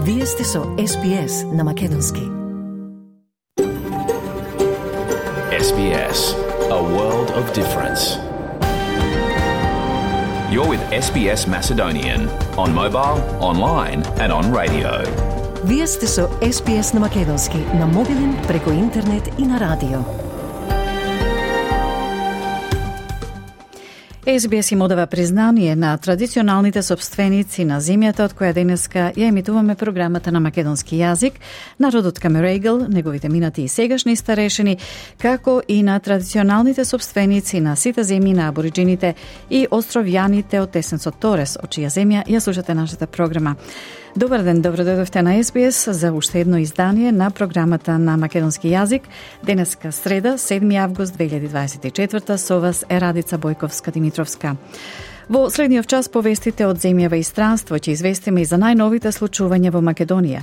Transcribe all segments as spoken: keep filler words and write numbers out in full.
Вие сте со Ес Би Ес на Македонски. Ес Би Ес, a world of difference. You're with Ес Би Ес Macedonian on mobile, online and on radio. Вие сте со Ес Би Ес на Македонски, на мобилен, преку интернет и на радио. Ес Би Ес им одава признание на традиционалните собственици на земјата од која денеска ја емитуваме програмата на македонски јазик, народот Камерејгл, неговите минати и сегашни старешини, како и на традиционалните собственици на сите земји на абориджините и островјаните од Тесенцот Торес, од чија земја ја слушате нашата програма. Добар ден, добро дојдовте на Ес Би Ес за уште едно издание на програмата на македонски јазик. Денеска среда, седми август две илјади дваесет и четврта, со вас е Радица Бојковска-Димитровска. Во следниот час повестите од земјава и странство ќе известиме и за најновите случувања во Македонија,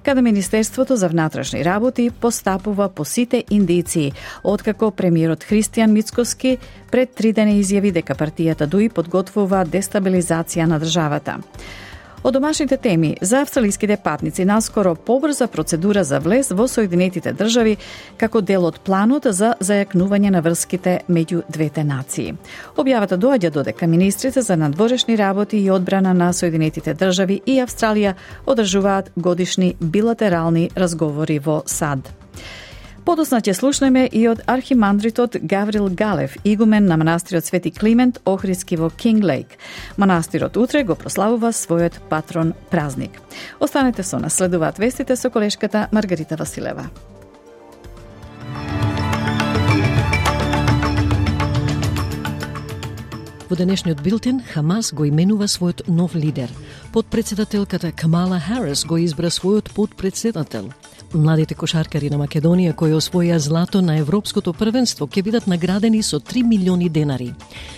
каде Министерството за внатрешни работи постапува по сите индиции, откако премиерот Христијан Мицкоски пред три дена изјави дека партијата ДУИ подготвува дестабилизација на државата. Од домашните теми, за австралиските патници наскоро побрза процедура за влез во Соединетите држави како дел од планот за зајакнување на врските меѓу двете нации. Објавата доаѓа додека министрите за надворешни работи и одбрана на Соединетите држави и Австралија одржуваат годишни билатерални разговори во САД. Подосна ќе слушнеме и од архимандритот Гаврил Галев, игумен на манастирот Свети Климент Охриски во Кинглейк. Манастирот утре го прославува својот патрон празник. Останете со нас, следуваат вестите со колешката Маргарита Василева. Во денешниот билтен, Хамас го именува својот нов лидер. Подпредседателката Камала Харис го избра својот подпредседател. Младите кошаркари на Македонија кои освоија злато на Европското првенство ќе бидат наградени со три милиони денари.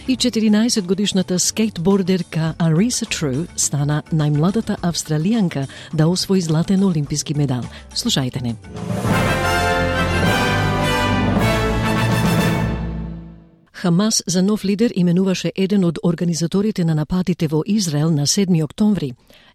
И четиринаесет годишната скейтбордерка Ариса Тру стана најмладата австралијанка да освои златен олимписки медал. Слушајте не. Хамас за нов лидер именуваше еден од организаторите на нападите во Израел на седми октомври.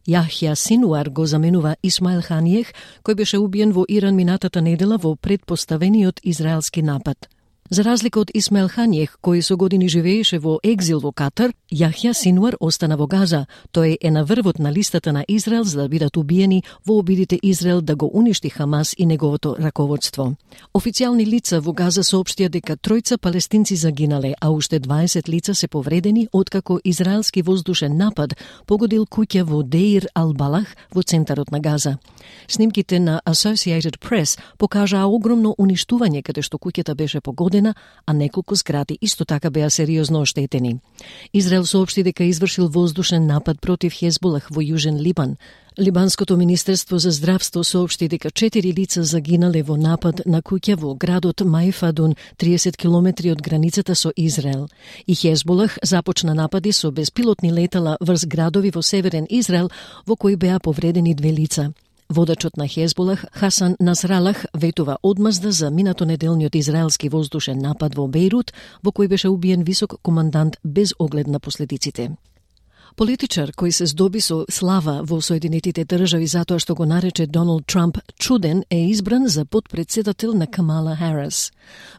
Јахја Синуар го заменува Исмаил Ханијех, кој беше убиен во Иран минатата недела во предпоставениот израелски напад. За разлика од Исмаил Ханијех, кој со години живееше во екзил во Катар, Јахја Синуар остана во Газа. Тој е на врвот на листата на Израел за да бидат убиени во обидите Израел да го уништи Хамас и неговото раководство. Официјални лица во Газа соопштија дека тројца палестинци загинале, а уште дваесет лица се повредени откако израелски воздушен напад погодил куќа во Деир Ал-Балах во центарот на Газа. Снимките на Associated Press покажаа огромно уништување каде што куќата беше погодена, а неколку згради исто така беа сериозно оштетени. Израел соопшти дека извршил воздушен напад против Хезболах во Јужен Либан. Либанското министерство за здравство соопшти дека четири лица загинале во напад на куќа во градот Мајфадун, триесет километри од границата со Израел. И Хезболах започна напади со беспилотни летала врз градови во северен Израел, во кои беа повредени две лица. Водачот на Хезболах, Хасан Насралах, ветува одмазда за минатонеделниот израелски воздушен напад во Бејрут, во кој беше убиен висок командант без оглед на последиците. Политичар кој се здоби со слава во Соединетите држави затоа што го нарече Доналд Трамп чуден е избран за подпредседател на Камала Харис.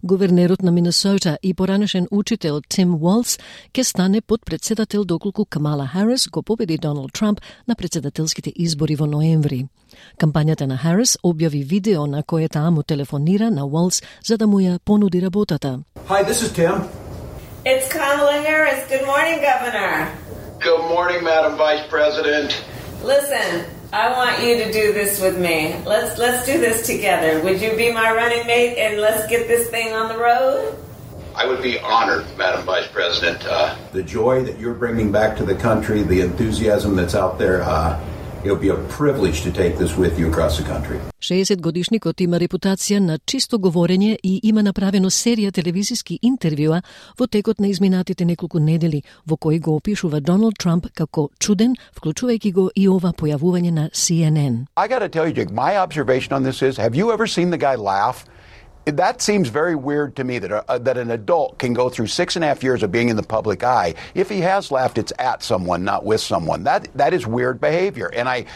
Гувернерот на Минесота и поранешен учител Тим Уолс ке стане подпредседател доколку Камала Харис го победи Доналд Трамп на председателските избори во ноември. Кампањата на Харис објави видео на кое таа му телефонира на Уолс за да му ја понуди работата. Hi, this is Tim. It's Kamala Harris. Good morning, Governor. Good morning, Madam Vice President. Listen, I want you to do this with me. Let's let's do this together. Would you be my running mate and let's get this thing on the road? I would be honored, Madam Vice President. Uh, the joy that you're bringing back to the country, the enthusiasm that's out there, uh, it'll be a privilege to take this with you across the country. шеесет годишникот има репутација на чисто говорење и има направено серија телевизиски интервјуа во текот на изминатите неколку недели, во кои го опишува Доналд Трамп како чуден, вклучувајќи го и ова појавување на Си Ен Ен. I got to tell you, Jake, my observation on this is, have you ever seen the guy laugh? That seems very weird to me that a, that an adult can go through six and a half years of being in the public eye. If he has laughed, it's at someone, not with someone. That that is weird behavior, and I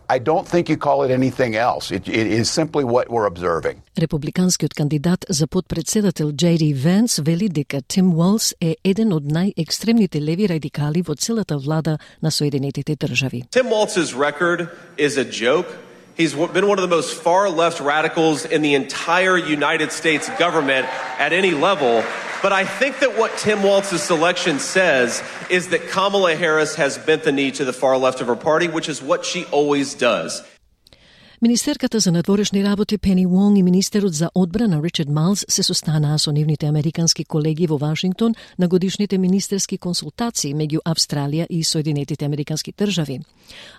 I don't think you call it anything else. It, it is simply what we're observing. Републиканскиот кандидат за подпредседател Джей Ди Венс вели дека Тим Уолс е еден од најекстремните леви радикали во целата влада на Соединетите држави. Tim Walz's record is a joke. He's been one of the most far-left radicals in the entire United States government at any level. But I think that what Tim Walz's selection says is that Kamala Harris has bent the knee to the far left of her party, which is what she always does. Министерката за надворешни работи Пени Вонг и министерот за одбрана Ричард Малс се состанаа со нивните американски колеги во Вашингтон на годишните министерски консултации меѓу Австралија и Соединетите американски држави.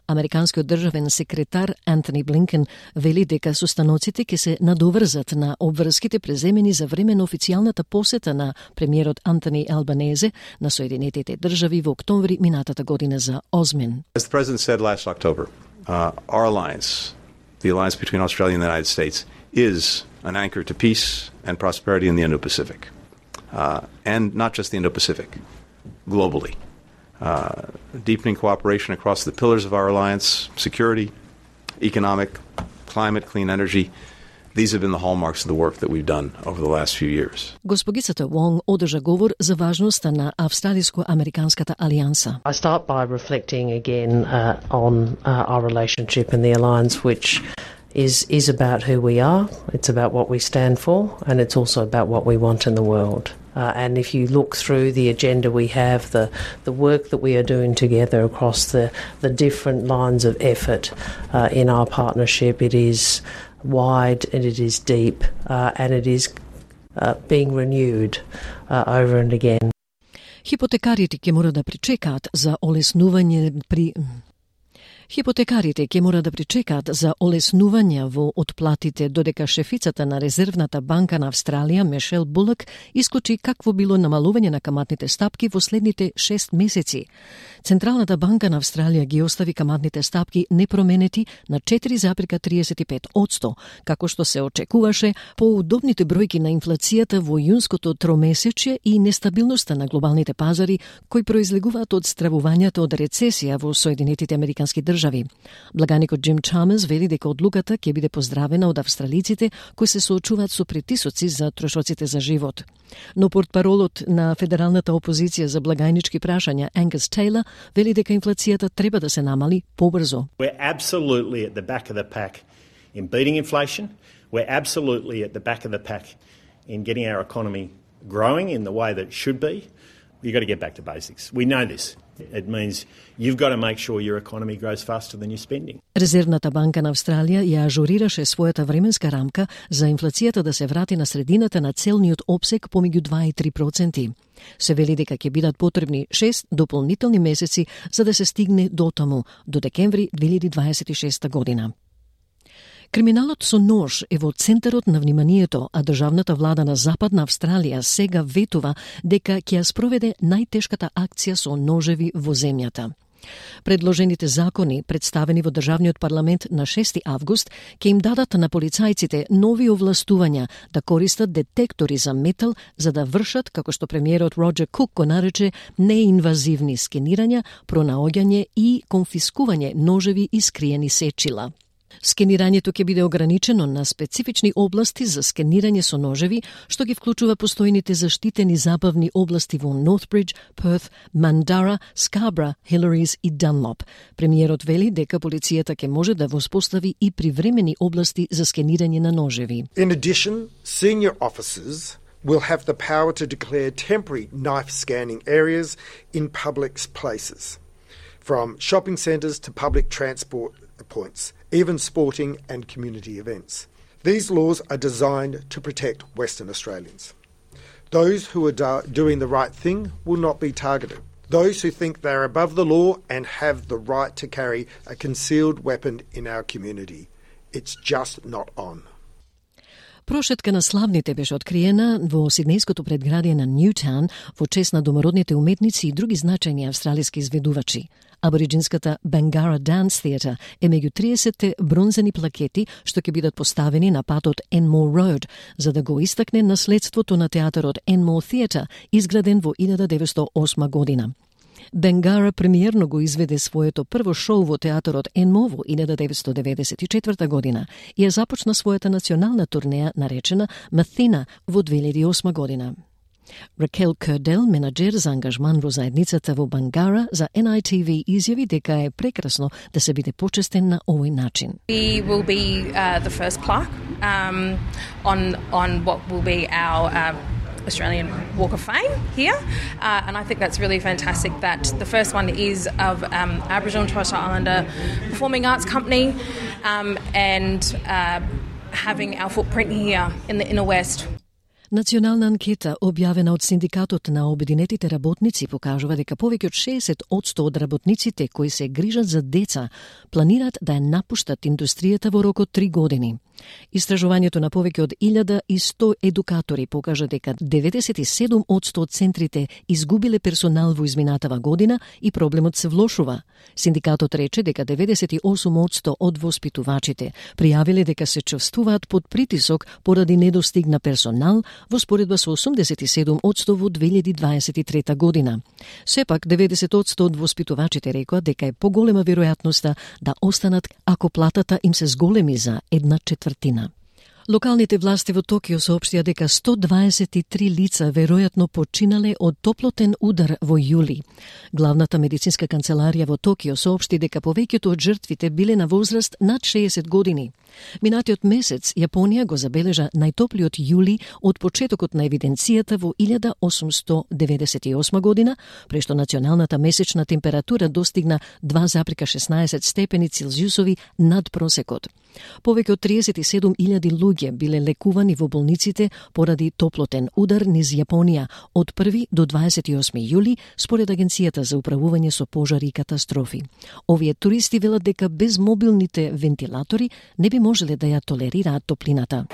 Американскиот државен секретар Антони Блинкен вели дека состаноците ќе се надоврзат на обврските преземени за време на официјалната посета на премиерот Антони Албанезе на Соединетите држави во октомври минатата година за Озмен. As the president said last October, uh, our alliance, the alliance between Australia and the United States, is an anchor to peace and prosperity in the Indo-Pacific. Uh, and not just the Indo-Pacific, globally. Uh, deepening cooperation across the pillars of our alliance, security, economic, climate, clean energy. These have been the hallmarks of the work that we've done over the last few years. Госпогицата Вонг одржа говор за важноста на австралиско-американската алијанса. I start by reflecting again uh, on uh, our relationship and the alliance, which is is about who we are, it's about what we stand for, and it's also about what we want in the world. Uh, and if you look through the agenda we have, the the work that we are doing together across the, the different lines of effort uh, in our partnership, it is wide and it is deep uh, and it is uh, being renewed uh, over and again. Хипотекарите ќе мора да причекаат за олеснување при Хипотекарите ќе мора да причекаат за олеснување во отплатите додека шефицата на Резервната банка на Австралија, Мишел Булак, исклучи какво било намалување на каматните стапки во следните шест месеци. Централната банка на Австралија ги остави каматните стапки непроменети на четири запирка триесет и пет одсто, како што се очекуваше по удобните бројки на инфлацијата во јунското тромесечје и нестабилноста на глобалните пазари кои произлегуваат од стравувањето од рецесија во Соединетите американски држави. Благаникот Джим Чамерс вели дека одлуката ќе биде поздравена од австралиците кои се соочуваат со притисоци за трошоците за живот. Но портпаролот на федералната опозиција за благајнички прашања Ангус Тейлор вели дека инфлацијата треба да се намали побрзо. We're absolutely at the back of the pack in beating inflation. We're absolutely at the back of the pack in getting our economy growing in the way that it should be. You've got to get back to basics. We know this. It means you've got to make sure your economy grows faster than your spending. Резервната банка на Австралија ја ажурираше својата временска рамка за инфлацијата да се врати на средината на целниот опсек помеѓу два и три проценти. Се вели дека ќе бидат потребни шест дополнителни месеци за да се стигне до таму, до декември две илјади дваесет и шеста година. Криминалот со нож е во центарот на вниманието, а државната влада на Западна Австралија сега ветува дека ќе ја спроведе најтешката акција со ножеви во земјата. Предложените закони, представени во Државниот парламент на шести август, ќе им дадат на полицајците нови овластувања да користат детектори за метал за да вршат, како што премиерот Роџер Кук го нарече, неинвазивни скенирања, пронаоѓање и конфискување ножеви и скриени сечила. Скенирањето ќе биде ограничено на специфични области за скенирање со ножеви, што ги вклучува постојните заштитени забавни области во Нортбридж, Перт, Мандара, Скабра, Хиларис и Данлоп. Премиерот вели дека полицијата ќе може да воспостави и привремени области за скенирање на ножеви. In addition, senior officers will have the power to declare temporary knife scanning areas in public places, from shopping centres to public transport points, even sporting and community events. These laws are designed to protect Western Australians. Those who are do- doing the right thing will not be targeted. Those who think they're above the law and have the right to carry a concealed weapon in our community, it's just not on. Прошетка на славните беше откриена во сиднејското предградие на Ньютаун во чест на домородните уметници и други значајни австралиски изведувачи. Абориджинската Bangara Dance Theatre е меѓу триесетте бронзени плакети што ќе бидат поставени на патот Enmore Road, за да го истакне наследството на театарот Enmore Theatre, изграден во илјада деветстотини и осма година. Бенгара премиерно го изведе своето прво шоу во театарот Енмо во илјада деветстотини деведесет и четврта година и ја започна својата национална турнеја наречена Маthina во две илјади и осма година. Ракел Кердел, менаџер за ангажман во заедницата во Бангара, за Ен Ај Ти Ви изјави дека е прекрасно да се биде почестен на овој начин. We will be uh, the first plaque um, on on what will be our um, Australian Walk of Fame here, uh, and I think that's really fantastic that the first one is of um, Aboriginal and Torres Strait Islander Performing Arts Company um, and uh, having our footprint here in the inner west. Национална анкета, објавена од Синдикатот на обединетите работници, покажува дека повеќе од шеесет одсто од работниците кои се грижат за деца планираат да ја напуштат индустријата во рок од три години. Истражувањето на повеќе од илјада и сто едукатори покажа дека деветдесет и седум одсто од центрите изгубиле персонал во изминатава година и проблемот се влошува. Синдикатот рече дека деветдесет и осум одсто од воспитувачите пријавиле дека се чувствуваат под притисок поради недостиг на персонал во споредба со осумдесет и седум одсто во две илјади дваесет и трета година. Сепак, деветдесет одсто од воспитувачите рекоа дека е поголема веројатноста да останат ако платата им се зголеми за една четвртина. Локалните власти во Токио соопштија дека сто дваесет и три лица веројатно починале од топлотен удар во јули. Главната медицинска канцеларија во Токио соопшти дека повеќето од жртвите биле на возраст над шеесет години. Минатиот месец Јапонија го забележа најтоплиот јули од почетокот на евиденцијата во илјада осумстотини деветдесет и осма година, прешто националната месечна температура достигна два зарез шеснаесет степени Целзиусови над просекот. Повеќе од триесет и седум илјади луѓе биле лекувани во болниците поради топлотен удар низ Јапонија од први до дваесет и осми јули, според Агенцијата за управување со пожари и катастрофи. Овие туристи велат дека без мобилните вентилатори не би можеле да ја толерираат топлината.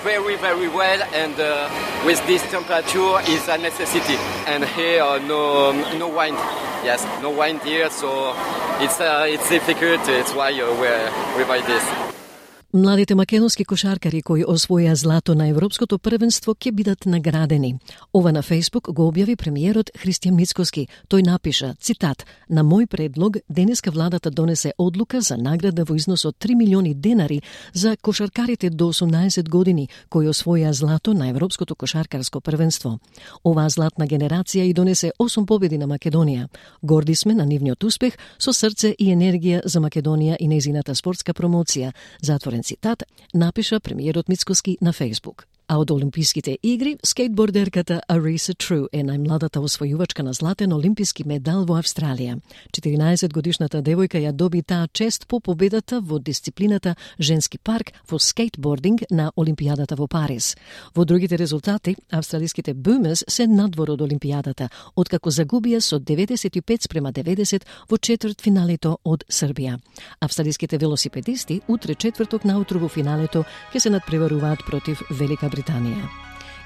Very, very well, and uh, with this temperature is a necessity. And here uh, no no wind, yes, no wind here, so it's uh, it's difficult. It's why uh, we we buy this. Младите македонски кошаркари кои освоја злато на Европското првенство ќе бидат наградени. Ова на Фејсбук го објави премиерот Христијан Мицкоски. Тој напиша, цитат: "На мој предлог, денеска владата донесе одлука за награда во износ од три милиони денари за кошаркарите до осумнаесет години кои освоја злато на Европското кошаркарско првенство. Оваа златна генерација и донесе осум победи на Македонија. Горди сме на нивниот успех, со срце и енергија за Македонија и нејзината спортска промоција." Затворен цитат, напиша премиерот Мицкоски на Фејсбук. А од Олимписките игри, скейтбордерката Ариса Тру е најмладата освојувачка на златен олимписки медал во Австралија. четиринаесет годишната девојка ја доби таа чест по победата во дисциплината женски парк во скейтбординг на Олимпијадата во Париз. Во другите резултати, австралиските Boomers се надвор од Олимпијадата, откако загубија со деветдесет и пет спрема деветдесет во четвртфиналето од Србија. Австралиските велосипедисти утре четврток наутро во финалето ќе се надпреваруваат против Велика Британија.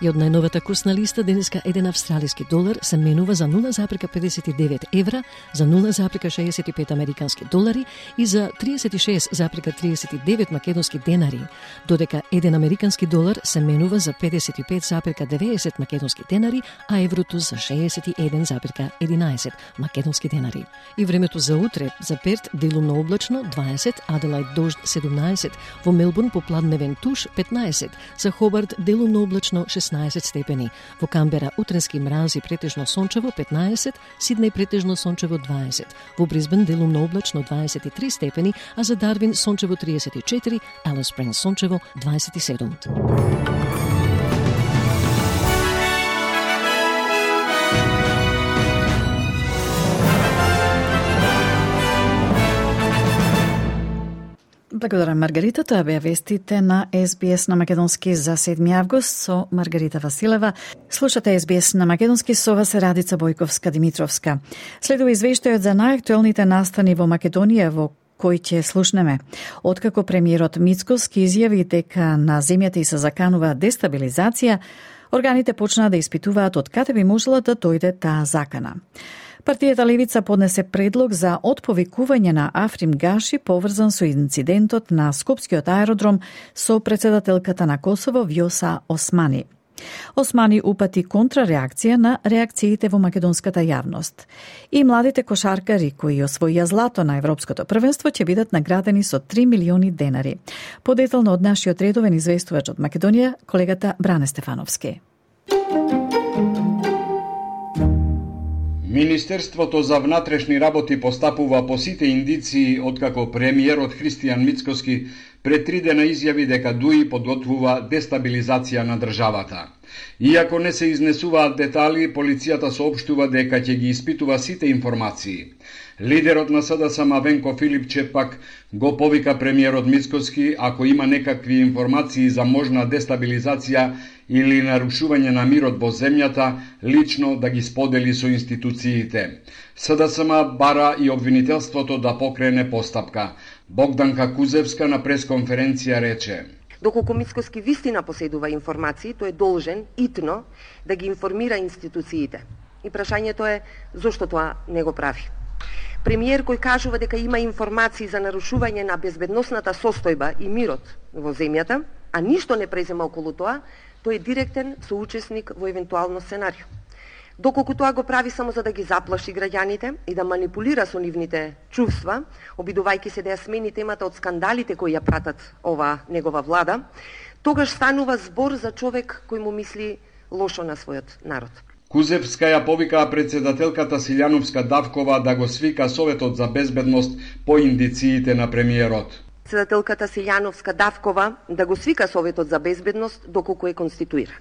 И од најновата курсна листа денеска еден австралиски долар се менува за нула зарез педесет и девет евра, за нула зарез шеесет и пет американски долари и за триесет и шест зарез триесет и девет македонски денари, додека еден американски долар се менува за педесет и пет зарез деветдесет македонски денари, а еврото за шеесет и еден зарез единаесет македонски денари. И времето за утре, за Перт делумно облачно дваесет, Аделаид дожд седумнаесет, во Мелбурн попладневен туш петнаесет, за Хобарт делумно облачно шеснаесет степени, во Камбера утренски мраз и претежно сончево петнаесет, Сиднеј претежно сончево дваесет, во Брисбен делумно облачно дваесет и три степени, а за Дарвин сончево триесет и четири, Алис Спрингс сончево дваесет и седум. Благодарам, Маргарита. Тоа беа вестите на Ес Би Ес на Македонски за седми август со Маргарита Василева. Слушате Ес Би Ес на Македонски со вас Радица Бојковска-Димитровска. Следува извештајот за најактуелните настани во Македонија во кој ќе слушнеме. Откако премиерот Мицкоски изјави дека на земјата и се заканува дестабилизација, органите почнаа да испитуваат од каде би можела да дојде таа закана. Партијата Левица поднесе предлог за отповикување на Африм Гаши поврзан со инцидентот на Скопскиот аеродром со председателката на Косово Вјоса Османи. Османи упати контрареакција на реакциите во македонската јавност. И младите кошаркари кои освоија злато на Европското првенство ќе бидат наградени со три милиони денари. Подетално од нашиот редовен известувач од Македонија, колегата Бране Стефановски. Министерството за внатрешни работи постапува по сите индиции откако премиерот Христијан Мицкоски пред три дена изјави дека ДУИ подготвува дестабилизација на државата. Иако не се изнесуваат детали, полицијата соопштува дека ќе ги испитува сите информации. Лидерот на СДСМ Венко Филипче пак го повика премиерот Мицкоски ако има некакви информации за можна дестабилизација или нарушување на мирот во земјата, лично да ги сподели со институциите. СДСМ бара и обвинителството да покрене постапка. Богданка Кузевска на пресконференција рече: Доколку Мицкоски вистина поседува информации, тој е должен итно да ги информира институциите. И прашањето е зошто тоа не го прави. Премиер кој кажува дека има информации за нарушување на безбедносната состојба и мирот во земјата, а ништо не презема околу тоа, тој е директен соучесник во евентуално сценарио. Доколку тоа го прави само за да ги заплаши граѓаните и да манипулира со нивните чувства, обидувајќи се да ја смени темата од скандалите кои ја пратат ова негова влада, тогаш станува збор за човек кој му мисли лошо на својот народ. Кузевска ја повика председателката Силјановска Давкова да го свика Советот за безбедност по индициите на премиерот. Председателката Силјановска Давкова да го свика Советот за безбедност доколку е конституиран.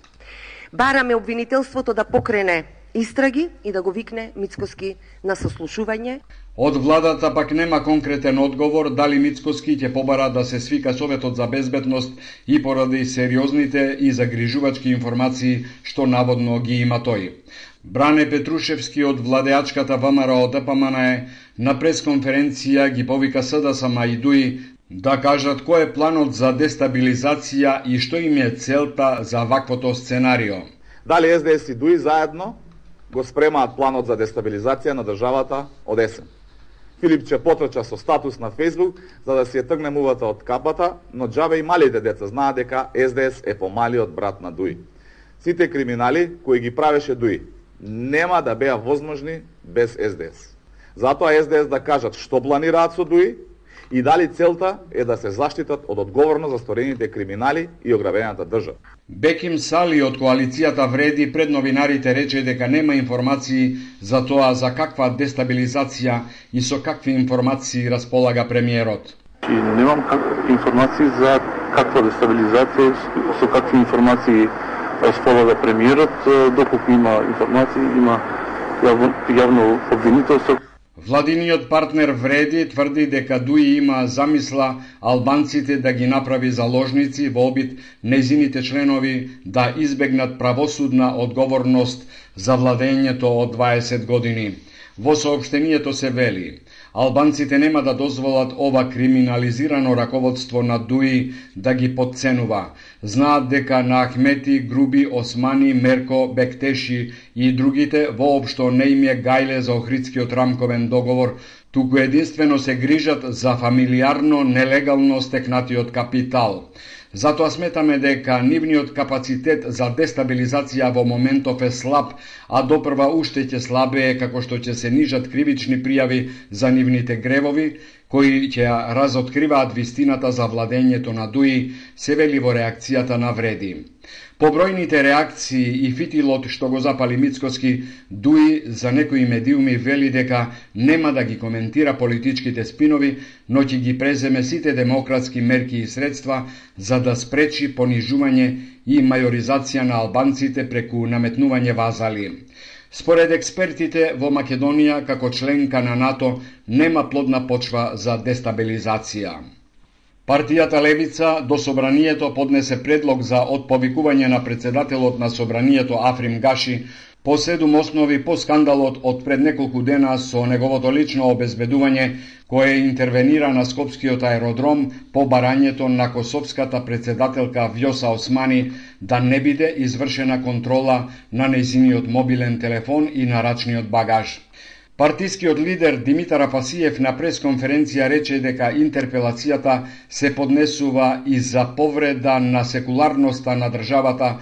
Бараме обвинителството да покрене истраги и да го викне Мицкоски на сослушување. Од владата пак нема конкретен одговор дали Мицкоски ќе побара да се свика Советот за безбедност и поради сериозните и загрижувачки информации што наводно ги има тој. Бране Петрушевски од владеачката ВМРО Д П М Н Е на пресконференција ги повика СДСМ и ДУИ да кажат кој е планот за дестабилизација и што им е целта за ваквото сценарио. Дали С Д С и ДУИ заедно го спремаат планот за дестабилизација на државата од есен. Филипче потрча со статус на Фејсбук за да си ја тргне мувата од капата, но џабе и малите деца знаат дека С Д С е помалиот брат на ДУИ. Сите криминали кои ги правеше ДУИ нема да беа возможни без С Д С. Затоа С Д С да кажат што планираат со ДУИ и дали целта е да се заштитат од одговорност за сторените криминали и ограбената држава. Беким Сали од коалицијата Вреди пред новинарите рече дека нема информации за тоа за каква дестабилизација и со какви информации располага премиерот. И немам информации за каква дестабилизација, со какви информации располага премиерот, доколку има информации, има јавно, јавно обвинителство. Владиниот партнер Вреди тврди дека ДУИ има замисла албанците да ги направи заложници во обид нејзините членови да избегнат правосудна одговорност за владењето од дваесет години. Во соопштението се вели: албанците нема да дозволат ова криминализирано раководство на ДУИ да ги подценува. Знаат дека на Ахмети, Груби, Османи, Мерко, Бектеши и другите воопшто не им е гајле за Охридскиот рамковен договор, туку единствено се грижат за фамилиарно нелегално стекнатиот капитал. Затоа сметаме дека нивниот капацитет за дестабилизација во моментов е слаб, а допрва уште ќе слабее како што ќе се нижат кривични пријави за нивните гревови, кои ќе разоткриваат вистината за владењето на ДУИ, се вели во реакцијата на Вреди. По бројните реакции и фитилот што го запали Мицкоски, ДУИ за некои медиуми вели дека нема да ги коментира политичките спинови, но ќе ги преземе сите демократски мерки и средства за да спречи понижување и мајоризација на албанците преку наметнување вазали. Според експертите, во Македонија, како членка на НАТО, нема плодна почва за дестабилизација. Партијата Левица до Собранието поднесе предлог за отповикување на председателот на Собранието Африм Гаши по седум основи по скандалот од пред неколку дена со неговото лично обезбедување кое интервенира на Скопскиот аеродром по барањето на косовската председателка Вјоса Османи да не биде извршена контрола на нејзиниот мобилен телефон и на рачниот багаж. Партискиот лидер Димитар Афасиев на пресконференција рече дека интерпелацијата се поднесува и за повреда на секуларноста на државата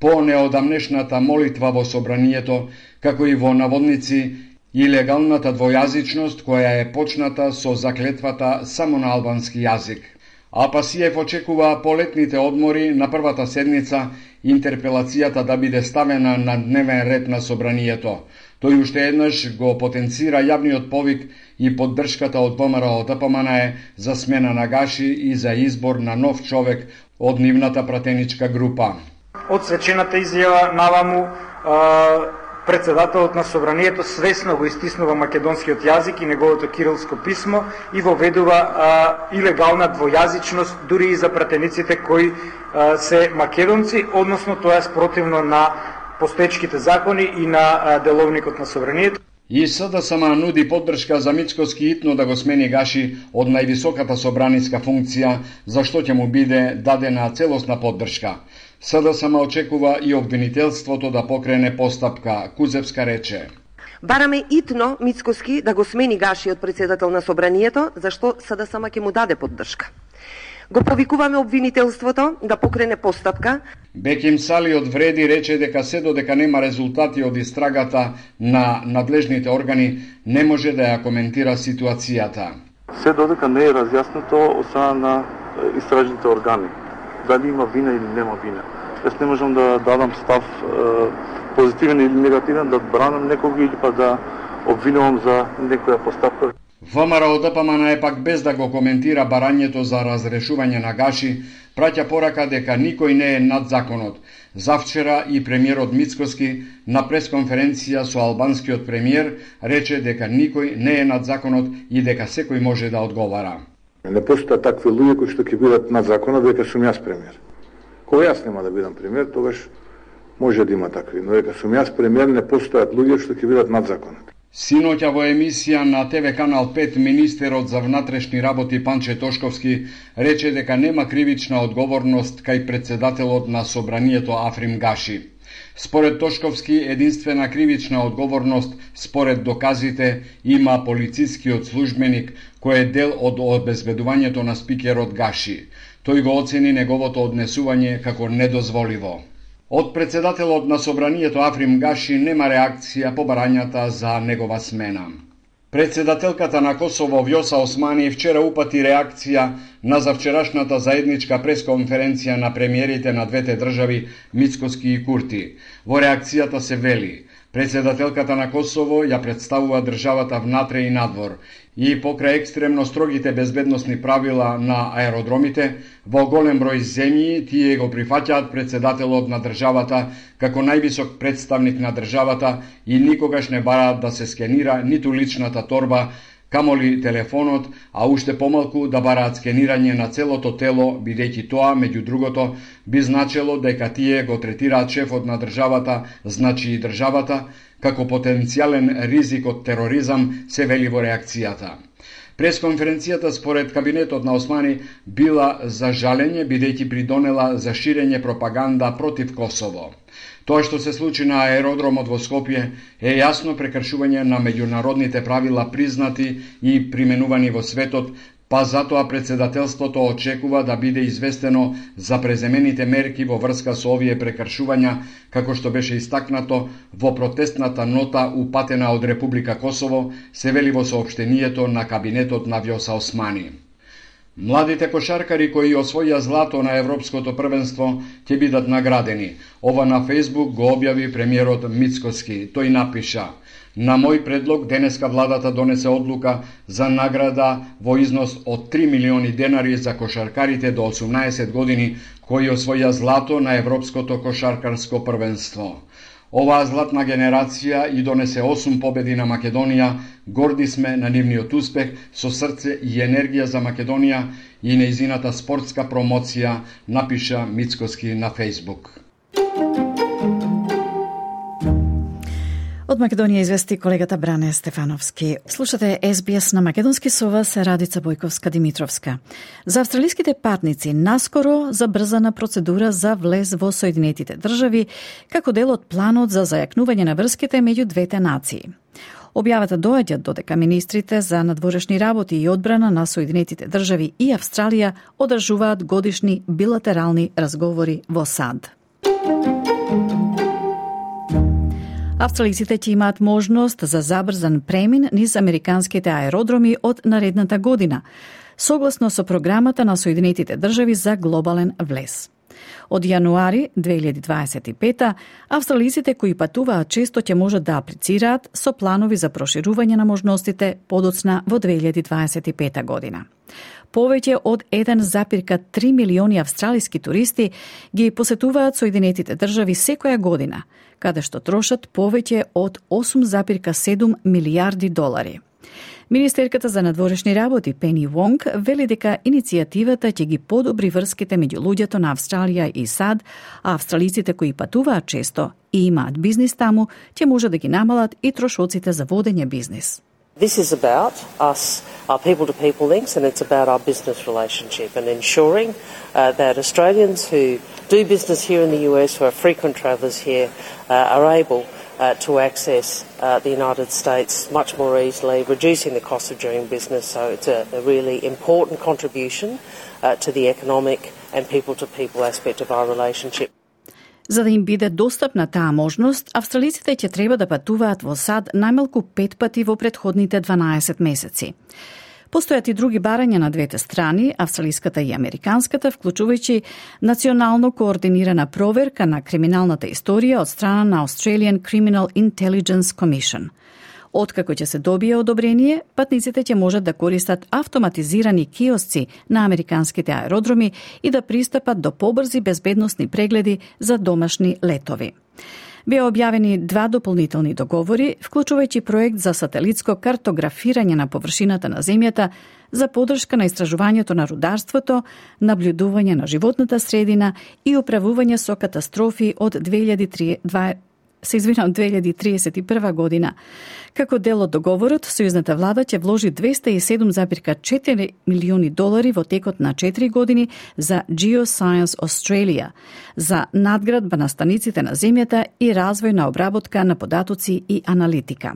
по неодамнешната молитва во собранието, како и во наводници илегалната двојазичност која е почната со заклетвата само на албански јазик. А Пасиев очекува по летните одмори на првата седница интерпелацијата да биде ставена на дневен ред на собранието. Тој уште еднаш го потенцира јавниот повик и поддршката од ВМРО Д П М Н Е за смена на Гаши и за избор на нов човек од нивната пратеничка група. Од свечената изјава наваму председателот на собранието свесно го истиснува македонскиот јазик и неговото кирилско писмо и воведува а, илегална двојазичност дури и за пратениците кои а, се македонци, односно тоа е спротивно на постоечките закони и на а, деловникот на собранието. И С Д С М нуди поддршка за Мицкоски итно да го смени Гаши од највисоката собраниска функција, за што ќе му биде дадена целосна поддршка. С Д С М очекува и обвинителството да покрене постапка, Кузевска рече. Бараме итно Мицкоски да го смени Гаши од председател на собранието, зашто С Д С М ќе му даде поддршка. Го повикуваме обвинителството да покрене постапка. Беким Сали од Вреди рече дека се додека нема резултати од истрагата на надлежните органи, не може да ја коментира ситуацијата. Се додека не е разјаснето од страна на истражните органи, дали има вина или нема вина. Јас не можам да дадам став е, позитивен или негативен, да бранам некого или па да обвинувам за некоја постапка. ВМРО Д П М Н Е пак без да го коментира барањето за разрешување на Гаши, праќа порака дека никој не е над законот. Завчера и премиерот Мицкоски на пресконференција со албанскиот премиер рече дека никој не е над законот и дека секој може да одговара. Не постојат такви луѓе кои што ќе бидат над законот дека сум јас премиер. Кога јас нема да бидам премиер, тогаш може да има такви, но дека сум јас премиер не постојат луѓе што ќе бидат над законот. Синоќа во емисија на Т В Канал пет министерот за внатрешни работи Панче Тошковски рече дека нема кривична одговорност кај председателот на собранието Африм Гаши. Според Тошковски, единствена кривична одговорност според доказите има полицискиот службеник кој е дел од обезбедувањето на спикерот Гаши. Тој го оцени неговото однесување како недозволиво. Од председателот на собранието Африм Гаши нема реакција по барањата за негова смена. Председателката на Косово Вјоса Османи вчера упати реакција на завчерашната заедничка пресконференција на премиерите на двете држави Мицкоски и Курти. Во реакцијата се вели: председателката на Косово ја представува државата внатре и надвор и покрај екстремно строгите безбедносни правила на аеродромите, во голем број земји тие го прифаќаат председателот на државата како највисок представник на државата и никогаш не бараат да се скенира ниту личната торба, камоли телефонот, а уште помалку да бараат скенирање на целото тело, бидејќи тоа, меѓу другото, би значело дека тие го третираат шефот на државата, значи и државата, како потенцијален ризик од тероризам, се вели во реакцијата. Пресконференцијата според кабинетот на Османи била за жалење бидејќи придонела за ширење пропаганда против Косово. Тоа што се случи на аеродромот во Скопје е јасно прекршување на меѓународните правила признати и применувани во светот, па затоа председателството очекува да биде известено за преземените мерки во врска со овие прекршувања, како што беше истакнато во протестната нота упатена од Република Косово, се вели во соопштението на кабинетот на Вјоса Османи. Младите кошаркари кои освоја злато на Европското првенство ќе бидат наградени. Ова на Фејсбук го објави премиерот Мицкоски. Тој напиша: на мој предлог денеска владата донесе одлука за награда во износ од три милиони денари за кошаркарите до осумнаесет години кои освоја злато на Европското кошаркарско првенство. Оваа златна генерација и донесе осум победи на Македонија, горди сме на нивниот успех, со срце и енергија за Македонија и нејзината спортска промоција, напиша Мицкоски на Фејсбук. Од Македонија извести колегата Бране Стефановски. Слушате Ес Би Ес на македонски со вас Радица Бојковска-Димитровска. За австралиските патници наскоро забрзана процедура за влез во Соединетите држави како дел од планот за зајакнување на врските меѓу двете нации. Објавата доаѓа додека министрите за надворешни работи и одбрана на Соединетите држави и Австралија одржуваат годишни билатерални разговори во САД. Австралиците ќе имаат можност за забрзан премин низ американските аеродроми од наредната година, согласно со програмата на Соединетите држави за глобален влез. Од јануари две илјади дваесет и пета, австралиците кои патуваат често ќе можат да аплицираат со планови за проширување на можностите подоцна во две илјади дваесет и пета година. Повеќе од еден зарез три милиони австралиски туристи ги посетуваат Соединетите држави секоја година, каде што трошат повеќе од осум зарез седум милијарди долари. Министерката за надворешни работи Пени Вонг вели дека иницијативата ќе ги подобри врските меѓу луѓето на Австралија и САД, а австралиците кои патуваат често и имаат бизнис таму, ќе може да ги намалат и трошоците за водење бизнис. This is about us, our people-to-people links, and it's about our business relationship and ensuring uh, that Australians who do business here in the U S, who are frequent travellers here, uh, are able uh, to access uh, the United States much more easily, reducing the cost of doing business. So it's a, a really important contribution uh, to the economic and people-to-people aspect of our relationship. За да им биде достапна таа можност, австралиците ќе треба да патуваат во САД најмалку пет пати во претходните дванаесет месеци. Постојат и други барања на двете страни, австралиската и американската, вклучувајќи национално координирана проверка на криминалната историја од страна на Australian Criminal Intelligence Commission. Откако ќе се добие одобрение, патниците ќе можат да користат автоматизирани киосци на американските аеродроми и да пристапат до побрзи безбедносни прегледи за домашни летови. Беа објавени два дополнителни договори, вклучувајќи проект за сателитско картографирање на површината на земјата за подршка на истражувањето на рударството, наблюдување на животната средина и управување со катастрофи од две илјади се извинам, две илјади триесет и прва година. Како дел од договорот, сојузната влада ќе вложи двесте и седум зарез четири милиони долари во текот на четири години за Geoscience Australia, за надградба на станиците на земјата и развој на обработка на податоци и аналитика.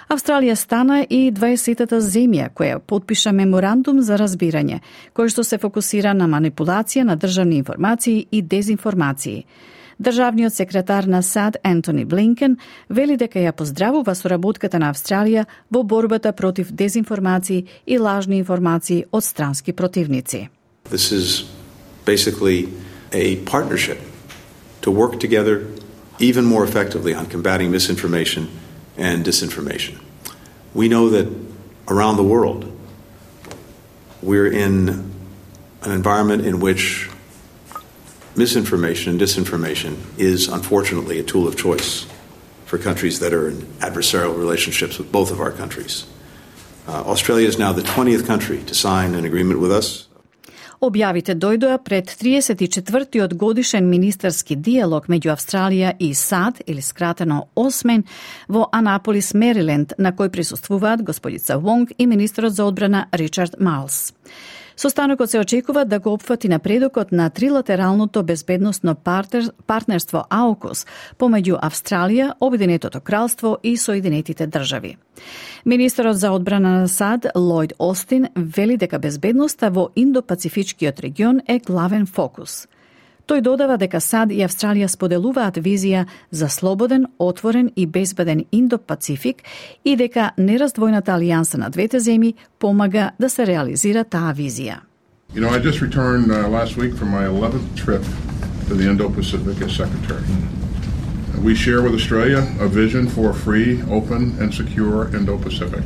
Австралија стана и дваесетата земја која потпиша меморандум за разбирање, кој што се фокусира на манипулација на државни информации и дезинформации. Државниот секретар на САД Ентони Блинкен вели дека ја поздравува соработката на Австралија во борбата против дезинформации и лажни информации од странски противници. This is basically a partnership to work together even more effectively on combating misinformation and disinformation. We know that around the world we're in an environment in which misinformation and disinformation is unfortunately a tool of choice for countries that are in adversarial relationships with both of our countries. Uh, Australia is now the twentieth country to sign an agreement with us. Објавите дојдоа пред триесет и четвртиот годишен министерски диалог меѓу Австралија и САД, или скратено осмен, во Анаполис, Мериленд, на кој присуствуваат господица Вонг и министерот за одбрана Ричард Малс. Состанокот се очекува да го опфати напредокот на трилатералното безбедносно партер, партнерство АУКУС помеѓу Австралија, Обединетото кралство и Соединетите држави. Министерот за одбрана на САД Лојд Остин вели дека безбедноста во Индо-Пацифичкиот регион е главен фокус. Тој додава дека САД и Австралија споделуваат визија за слободен, отворен и безбеден Индо-Пацифик и дека нераздвојната алијанса на двете земји помага да се реализира таа визија. You know, I just returned uh, last week from my eleventh trip to the Indo-Pacific as Secretary. We share with Australia a vision for a free, open, and secure Indo-Pacific.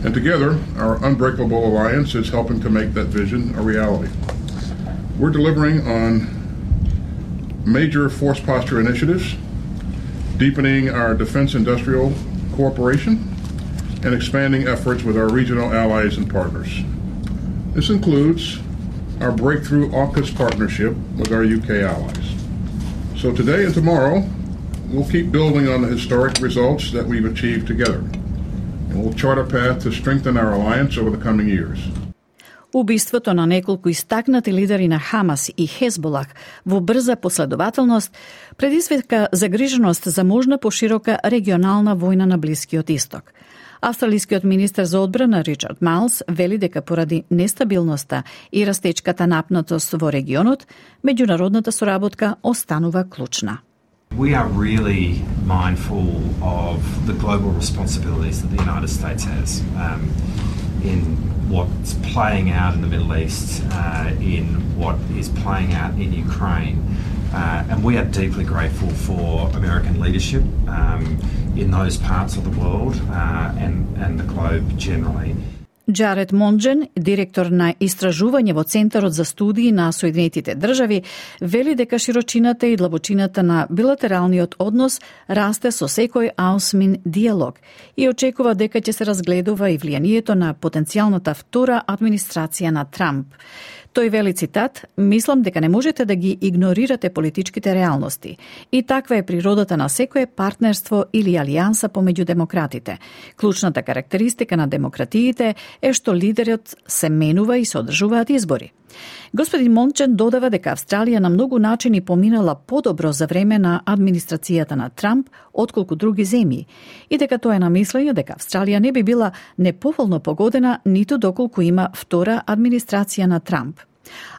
And together, our unbreakable alliance is helping to make that vision a reality. We're delivering on major force posture initiatives, deepening our defense industrial cooperation, and expanding efforts with our regional allies and partners. This includes our breakthrough AUKUS partnership with our U K allies. So today and tomorrow, we'll keep building on the historic results that we've achieved together, and we'll chart a path to strengthen our alliance over the coming years. Убиството на неколку истакнати лидери на Хамас и Хезболах во брза последователност предизвика загриженост за можна поширока регионална војна на Блискиот Исток. Австралискиот министер за одбрана Ричард Малс вели дека поради нестабилноста и растечката напнатост во регионот, меѓународната соработка останува клучна. We are really mindful of the global responsibilities that the United States has um, in what's playing out in the Middle East, uh, in what is playing out in Ukraine. Uh, and we are deeply grateful for American leadership um, in those parts of the world uh, and, and the globe generally. Джаред Монџен, директор на истражување во Центарот за студии на Соединетите држави, вели дека широчината и длабочината на билатералниот однос расте со секој аусмин диалог и очекува дека ќе се разгледува и влијанието на потенцијалната втора администрација на Трамп. Тој вели цитат: "Мислам дека не можете да ги игнорирате политичките реалности. И таква е природата на секое партнерство или алијанса помеѓу демократите. Клучната карактеристика на демократиите е што лидерот се менува и се одржуваат избори." Господин Мончен додава дека Австралија на многу начини поминала подобро за време на администрацијата на Трамп отколку други земји и дека тоа е на мислење дека Австралија не би била неповолно погодена ниту доколку има втора администрација на Трамп.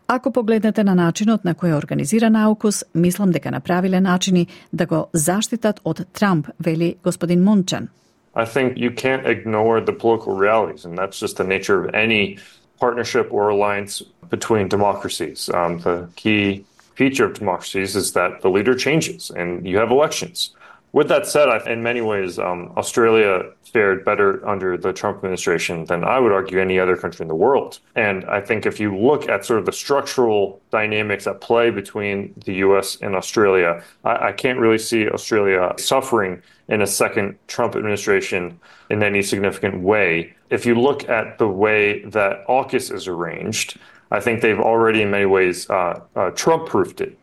Ако погледнете на начинот на кој е организиран аукус, мислам дека направиле начини да го заштитат од Трамп, вели господин Мончен. I think you can't ignore the political realities, and that's just the nature of any partnership or alliance between democracies. Um, the key feature of democracies is that the leader changes and you have elections. With that said, I, in many ways, um, Australia fared better under the Trump administration than I would argue any other country in the world. And I think if you look at sort of the structural dynamics at play between the U S and Australia, I, I can't really see Australia suffering in a second Trump administration in any significant way. If you look at the way that AUKUS is arranged, I think they've already in many ways uh, uh, Trump-proofed it.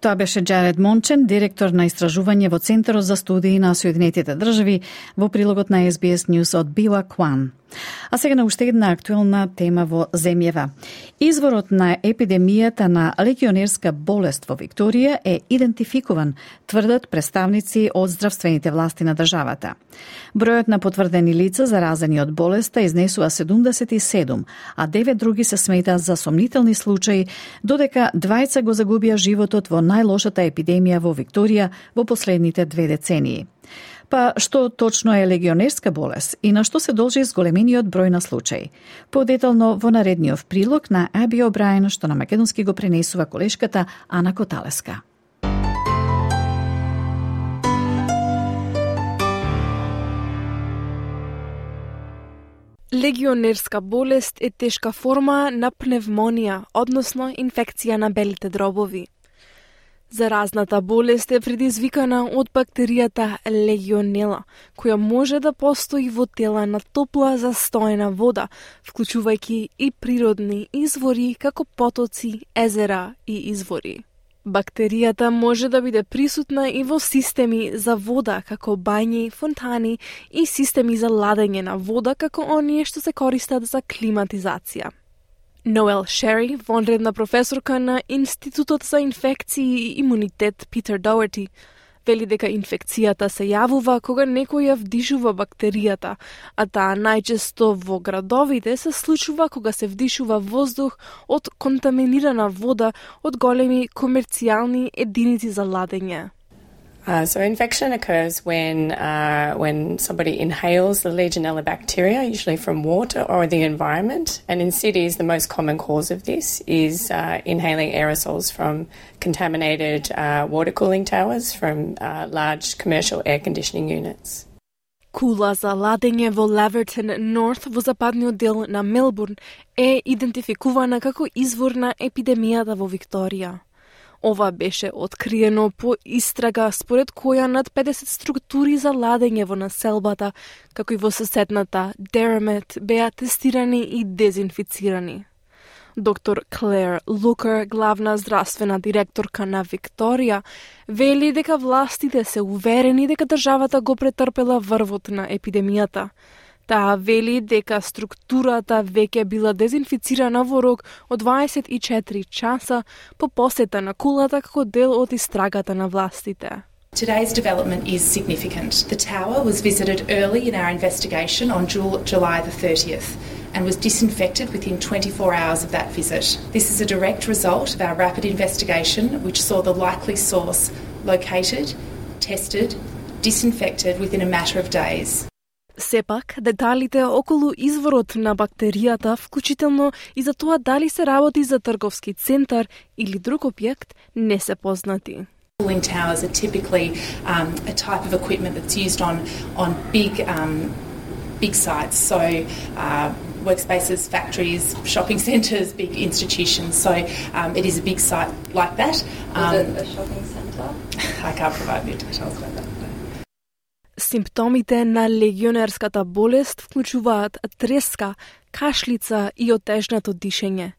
Тоа беше Джаред Мончен, директор на истражување во Центарот за студии на Соединетите држави, во прилогот на Ес Би Ес News од Била Кван. А сега на уште една актуелна тема во земјава. Изворот на епидемијата на легионерска болест во Викторија е идентификуван, тврдат представници од здравствените власти на државата. Бројот на потврдени лица заразени од болеста изнесува седумдесет и седум, а девет други се сметаат за сомнителни случаи, додека двајца го загубија животот во најлошата епидемија во Викторија во последните две децении. Па што точно е легионерска болест и на што се должи зголемениот број на случаи? Подетално во наредниот прилог на Аби О'Брајен, што на македонски го пренесува колешката Ана Коталеска. Легионерска болест е тешка форма на пневмонија, односно инфекција на белите дробови. Заразната болест е предизвикана од бактеријата легионела, која може да постои во тела на топла застоена вода, вклучувајќи и природни извори како потоци, езера и извори. Бактеријата може да биде присутна и во системи за вода како бањи, фонтани и системи за ладење на вода како оние што се користат за климатизација. Ноел Шери, вонредна професорка на Институтот за инфекции и имунитет Питер Доерти, вели дека инфекцијата се јавува кога некој ја вдишува бактеријата, а таа најчесто во градовите се случува кога се вдишува воздух од контаминирана вода од големи комерцијални единици за ладење. Uh, so infection occurs when uh, when somebody inhales the Legionella bacteria, usually from water or the environment. And in cities, the most common cause of this is uh, inhaling aerosols from contaminated uh, water cooling towers from uh, large commercial air conditioning units. Кула за ладење во Лавертон Норth во западниот дел на Мелбурн е идентификувана како извор на епидемијата во Викторија. Ова беше откриено по истрага според која над педесет структури за ладење во населбата, како и во соседната Derrimut, беа тестирани и дезинфицирани. Доктор Клер Лукер, главна здравствена директорка на Викторија, вели дека властите се уверени дека државата го претрпела врвот на епидемијата. Таа вели дека структурата веќе била дезинфицирана во рок од дваесет и четири часа по посета на кулата како дел од истрагата на властите. Today's development is significant. The tower was visited early in our investigation on July the thirtieth and was disinfected within twenty-four hours of that visit. This is a direct result of our rapid investigation, which saw the likely source located, tested, disinfected within a matter of days. Сепак, деталите околу изворот на бактеријата, вклучително и за тоа дали се работи за трговски центар или друг објект, не се познати. Cooling towers are typically um, a type of equipment that's used on on big um, big sites, so uh, workspaces, factories, shopping centres, big institutions. So um, it is a big site like that. Um, is it a shopping centre? I can't provide any details about that. Симптомите на легионерската болест вклучуваат треска, кашлица и отежнато дишење.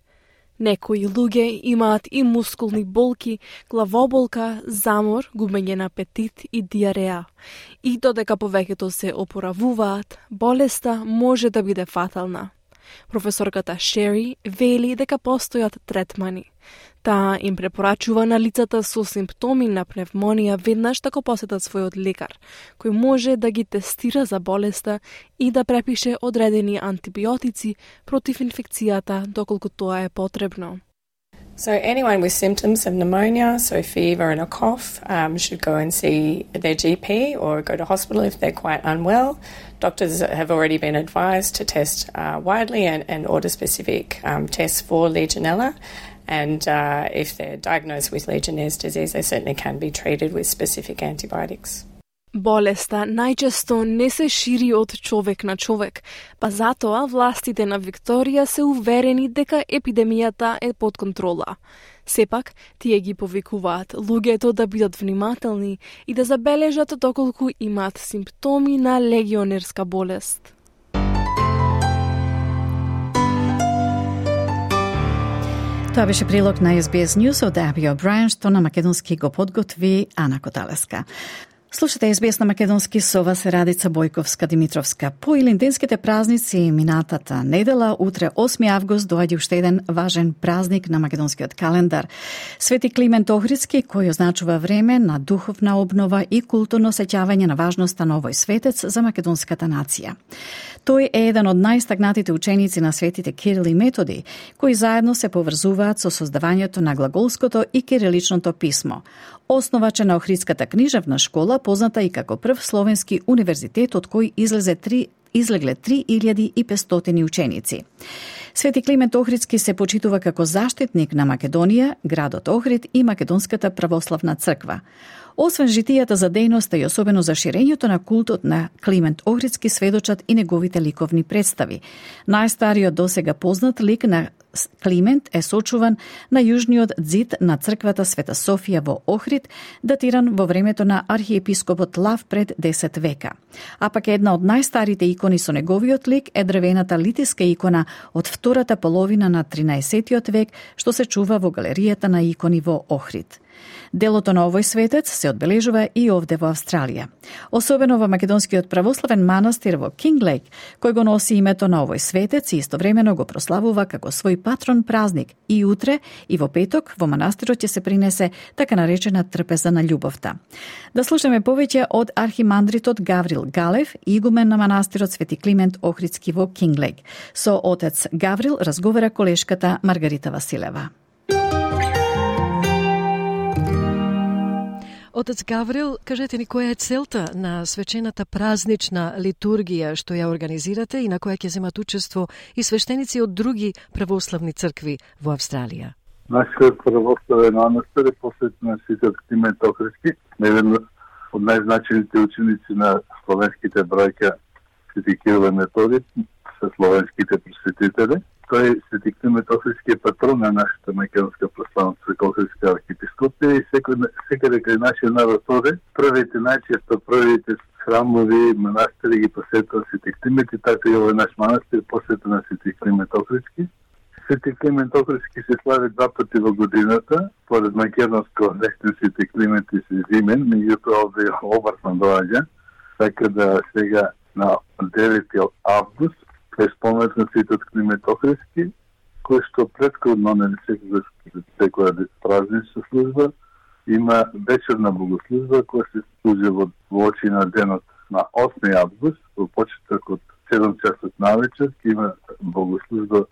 Некои луѓе имаат и мускулни болки, главоболка, замор, губење на апетит и диареа. И додека повеќето се опоравуваат, болеста може да биде фатална. Професорката Шери вели дека постојат третмани. Таа им препорачува на лицата со симптоми на пневмонија веднаш да го посетат својот лекар, кој може да ги тестира за болеста и да препише одредени антибиотици против инфекцијата доколку тоа е потребно. So anyone with symptoms of pneumonia, so fever and a cough, um, should go and see their G P or go to hospital if they're quite unwell. Doctors have already been advised to test uh, widely and, and order specific um, tests for Legionella. And uh, if they're diagnosed with Legionnaire's disease, they certainly can be treated with specific antibiotics. Болеста најчесто не се шири од човек на човек, па затоа властите на Викторија се уверени дека епидемијата е под контрола. Сепак, тие ги повикуваат луѓето да бидат внимателни и да забележат доколку имаат симптоми на легионерска болест. Тоа беше прилог на Ес Би Ес News од Аби О'Брајен, што на македонски го подготви Ана Коталеска. Слушате Ес Би Ес на македонски, со вас е Радица Бојковска-Димитровска. По илинденските празници минатата недела, утре осми август, доаѓа уште еден важен празник на македонскиот календар. Свети Климент Охридски, кој означува време на духовна обнова и културно сеќавање на важноста на овој светец за македонската нација. Тој е еден од најстагнатите ученици на светите Кирил и Методи, кои заедно се поврзуваат со создавањето на глаголското и кириличното писмо. Основач на Охридската книжевна школа, позната и како прв словенски универзитет од кој излезе три излегле три илјади и петстотини ученици. Свети Климент Охридски се почитува како заштитник на Македонија, градот Охрид и Македонската православна црква. Освен житијата за дејноста и особено за ширењето на култот на Климент Охридски сведочат и неговите ликовни представи. Најстариот досега познат лик на Климент е сочуван на јужниот ѕид на црквата Света Софија во Охрид, датиран во времето на архиепископот Лав пред десет века. А пак една од најстарите икони со неговиот лик е дрвената литиска икона од втората половина на тринаесеттиот век, што се чува во галеријата на икони во Охрид. Делото на овој светец се одбележува и овде во Австралија. Особено во македонскиот православен манастир во Кинглейк, кој го носи името на овој светец и истовремено го прославува како свој патрон празник. И утре и во петок во манастирот ќе се принесе така наречена трпеза на љубовта. Да слушаме повеќе од архимандритот Гаврил Галев, игумен на манастирот Свети Климент Охридски во Кинглейк. Со отец Гаврил разговара колешката Маргарита Василева. Отец Гаврил, кажете ни која е целта на свечената празнична литургија што ја организирате и на која ќе земат учество и свештеници од други православни цркви во Австралија? Нашиот православен манастир е посветен на Свети Климент Охридски, еден од најзначените ученици на словенските браќа Свети Кирил и Методи, се словенските просветители. Тој Свети Климент Охридски е патрон на нашата македонска православна црква Охридска архиепископија и секаде кај нашиот народ оде, првите најчесто првите храмови, манастири ги посетува Свети Климент и така и овој наш манастир посветен на Свети Климент Охридски. Свети Климент Охридски се слави два пати во годината, поред македонско ден Свети Климент и Свезимен, меѓутоа овде обртно доаѓа, така да сега на девети август е споменат на Светиот Климент Охридски, кој што претходно на секоја празнична служба има вечерна богослужба која се служи во, во очи на денот на осми август, во почеток од седум часот навечер, ќе има богослужба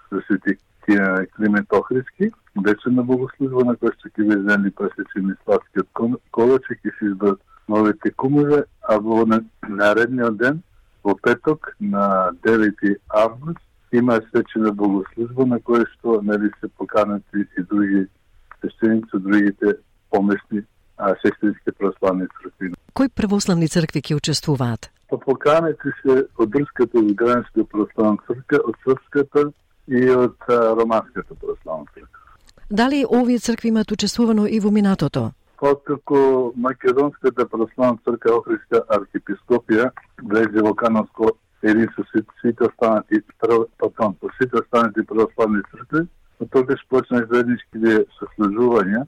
за Свети Тие Климент Охридски, вечерна богослужба на која што ќе везени пресечени сладкиот колачек и се избрат новите кумове, а во наредниот ден, во петок на девети август, има свечена богослужба на која што нели се поканати и други свещеници од другите помесни а, сестрински православни цркви. Кои православни цркви ќе учествуваат? По поканати се од Дрската Украинска православна црква, од Српската и од а, Романската православна црква. Дали овие цркви имаат учествувано и во минатото? Откако Македонската православна црква Охридска архиепископија влезе во канонско единство сите останати патон, по сите останати православни цркви, од тогаш почнаа заедничките сослужувања,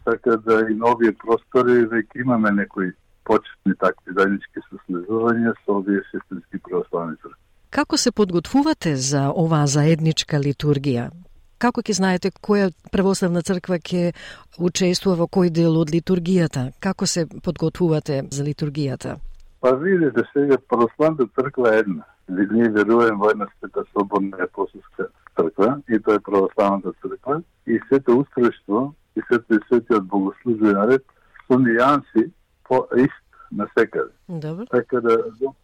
така да и на овие простори веќе имаме некои почетни такви заеднички сослужувања со овие сестрински православни цркви. Како се подготвувате за оваа заедничка литургија? Како ќе знаете која православна црква ќе учествува во кој дел од литургијата? Како се подготвувате за литургијата? Па видите, сега православната црква е една. Ние веруваме во една света слободна апостолска црква и тоа е православната црква и сето устројство и сето и светиот богослужбен ред со нијанси по ист насекаде. Добро. Така да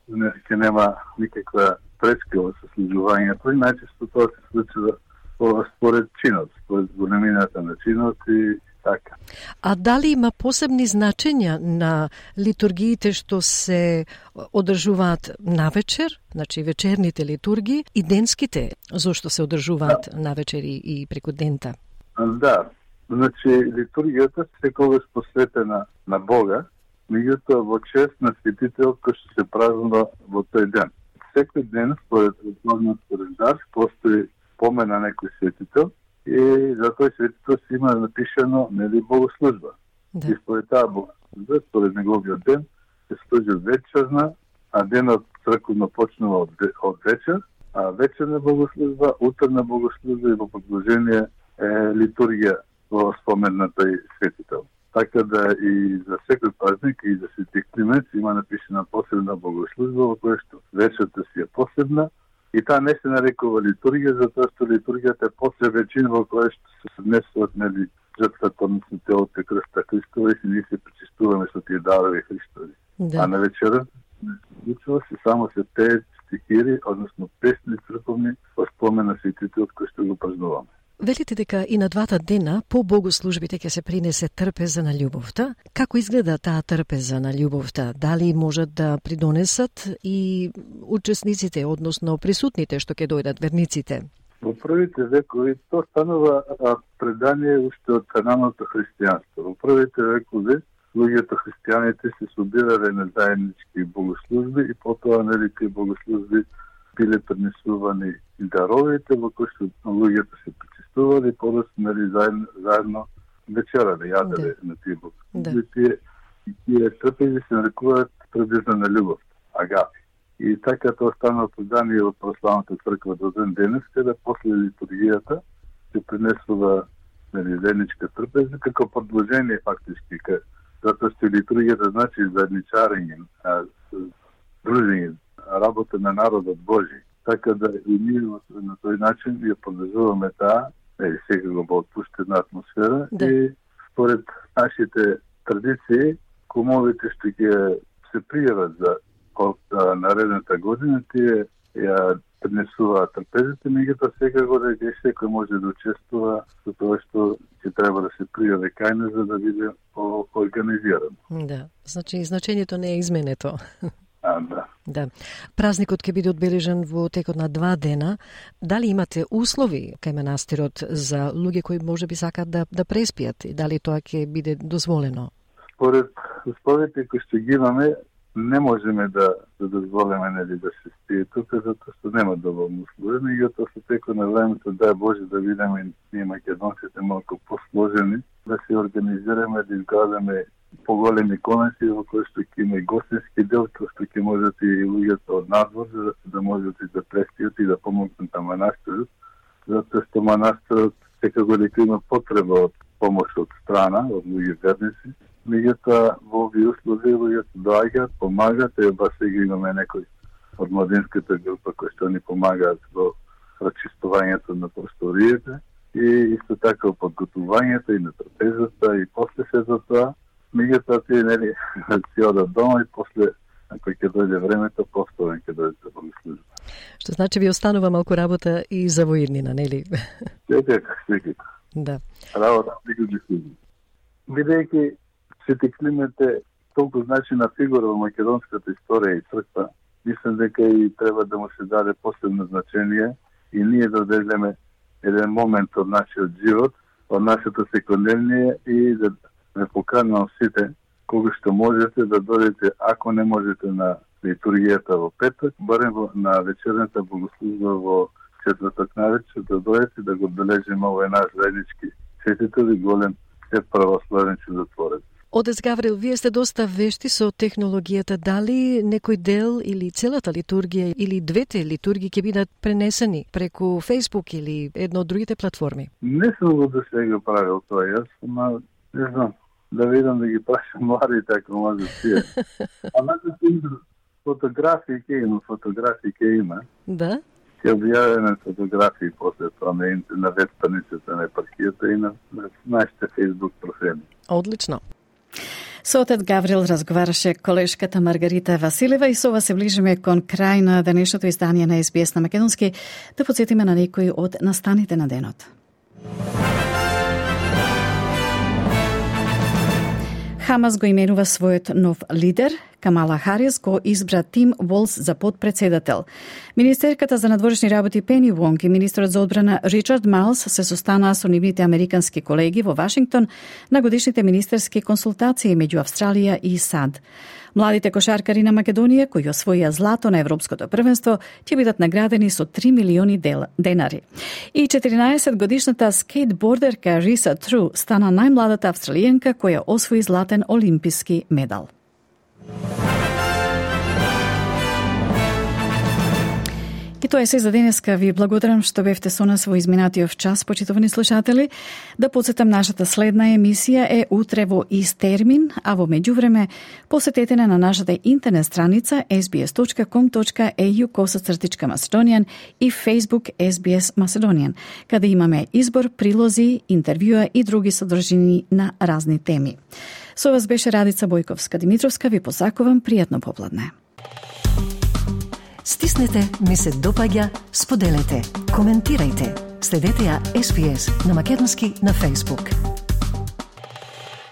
не ќе нема никаква пречка во сослужувањето и најчесто тоа се случува според чинот, според големината на чинот и така. А дали има посебни значења на литургиите што се одржуваат навечер, значи вечерните литургии и денските, зошто се одржуваат да. навечер и преку дента? Да, значи литургијата секогаш посветена на Бога, меѓутоа во чест на светител кој што се празнува во тој ден. Секој ден, според основниот календар, постои помен на некој светител и за тој светител си има напишано нели богослужба. Да. И според таа богослужба, според неговиот ден, се служи вечерна, а денот црковно почнува од, од вечер, а вечерна богослужба, утрна богослужба и во продолжение е литургија во спомен на тој светител. Така да и за секој празник и за Свети Климент има напишана посебна богослужба во која што вечерта си е посебна. И таа не се нарекува литургија, затоа што литургијата е посебен чин во која што се однесуваат нели жртвата, односно телото и крста Христова и ние се причистуваме со тие дарови Христови. Да. А на вечерот случува се само се пеат стихири, односно песни црковни во спомен на светителот кој што го празнуваме. Велите дека и на двата дена по богослужбите ќе се принесе трпеза на љубовта. Како изгледа таа трпеза на љубовта? Дали можат да придонесат и учесниците, односно присутните што ќе дојдат, верниците? Во првите векови тоа станува предание уште од каноното христијанство. Во првите векови луѓето христијаните се собирале на заеднички богослужби и потоа нели тие богослужби биле пренесувани и даровите во кои што луѓето се причестували и подоцна нели заедно, заедно вечерале, јаделе да. на тие богослужби. Да. Тие, тие трпези се нарекуваат трпеза на љубов, агапи. И така тоа станува предание од православната црква до ден денес, каде после литургијата се пренесува нели заедничка трпеза како продолжение фактички, затоа што литургијата значи заедничарење, дружење, работа на народот Божи. Така да и ние на тој начин ја продолжуваме таа, е секако во отпуштена атмосфера да. И според нашите традиции, кумовите што ќе се пријават за наредната година, тие ја пренесуваат трпезите, меѓутоа секако да ќе секој може да учествува со тоа што ќе треба да се пријави кај нас за да биде организирано. Да, значи значењето не е изменето. А, да. Да. Празникот ќе биде одбележан во текот на два дена. Дали имате услови кај манастирот за луѓе кои може би сакаат да, да преспијат? Дали тоа ќе биде дозволено? Според условите кои што ги имаме, не можеме да, да дозволиме нели да се спие тука, затоа што нема доволно услови, меѓутоа со текот на времето, дај Боже да видиме ние македонците малку посложени, да се организираме, да изградаме поголеми конеси во кои што ќе има и гостински дел, кој што ќе можат и луѓето од надвор, за да, да можат и да преспијат и да помогнат на манастирот, затоа што манастирот секако дека има потреба од помош од страна, од луѓе верници. Меѓутоа во овие услови луѓето доаѓаат, помагаат, и ба сега имаме некој од младинската група кои што ни помагаат во прочистувањето на просториите и исто така подготувањето и на трапезата и после сето тоа, меѓутоа тие нели си одат дома и после, ако ќе дојде времето, повторно ќе дојде да богослужба. Што значи ви останува малку работа и за во иднина, нели? Секако, секако. Да. Работа секако ги служи. Бидејќи Свети Климент е толку значина фигура во македонската историја и црква, мислам дека и треба да му се даде посебно значение и ние да одредиме еден момент од нашиот живот, од нашето секојдневие и да ме поканам сите, кога што можете да додете, ако не можете на литургијата во петок, барем на вечерната богослужба во четврток навечер, да дојдете да го одбележиме овој наш заеднички светител и голем свет православен чудотворец. Отец Гаврил, вие сте доста вешти со технологијата. Дали некој дел или целата литургија или двете литургии ќе бидат пренесени преку Facebook или едно од другите платформи? Не сум го до сега правил тоа јас, ама не знам, да видам да ги прашам младите ако може тие. Ама да фотографии ќе има, фотографии ќе има. Да? Ќе објавиме фотографии после тоа на, на веб страницата на епархијата и на, на нашите Facebook профили. Одлично. Со отец Гаврил разговараше колешката Маргарита Василева и со ова се ближиме кон крај на денешното издание на Ес Би Ес на македонски. Да подсетиме на некои од настаните на денот. Хамас го именува својот нов лидер. Камала Харис го избра Тим Волс за подпредседател. Министерката за надворешни работи Пени Вонг и министрот за одбрана Ричард Малс се состанаа со нивните американски колеги во Вашингтон на годишните министерски консултации меѓу Австралија и САД. Младите кошаркари на Македонија, кои освоија злато на Европското првенство, ќе бидат наградени со три милиони денари. И четиринаесет годишната скейтбордерка Риса Тру стана најмладата австралијанка која освои златен олимписки медал. И тоа е се за денеска. Ви благодарам што бевте со нас во изминатиот час, почитувани слушатели. Да подсетам, нашата следна емисија е утре во ист термин, а во меѓувреме посетете на нашата интернет страница ес би ес точка ком точка е ю косацртичка Macedonian и Facebook Ес Би Ес Macedonian, каде имаме избор, прилози, интервјуа и други содржини на разни теми. Со вас беше Радица Бојковска-Димитровска. Ви посакувам пријатно попладне. Стиснете, ми се допаѓа, споделете, коментирајте. Следете ја Ес Би Ес на македонски на Facebook.